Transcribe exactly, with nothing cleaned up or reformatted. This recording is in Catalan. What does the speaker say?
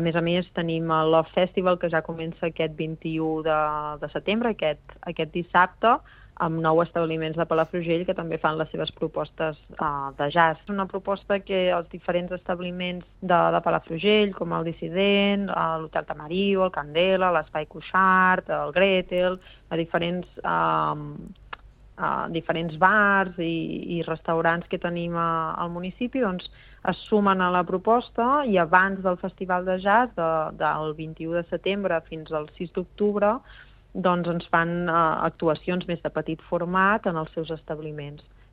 A més a més, tenim el Love Festival, que ja comença aquest vint-i-u de, de setembre, aquest, aquest dissabte, amb nou establiments de Palafrugell que també fan les seves propostes uh, de jazz. És una proposta que els diferents establiments de, de Palafrugell, com el Dissident, l'Hotel Tamarillo, el Candela, l'Espai Cuixart, el Gretel, a diferents, uh, uh, diferents bars i, i restaurants que tenim a, al municipi, doncs es sumen a la proposta i abans del Festival de Jazz, de, del vint-i-u de setembre fins al sis d'octubre, doncs ens fan uh, actuacions més de petit format en els seus establiments.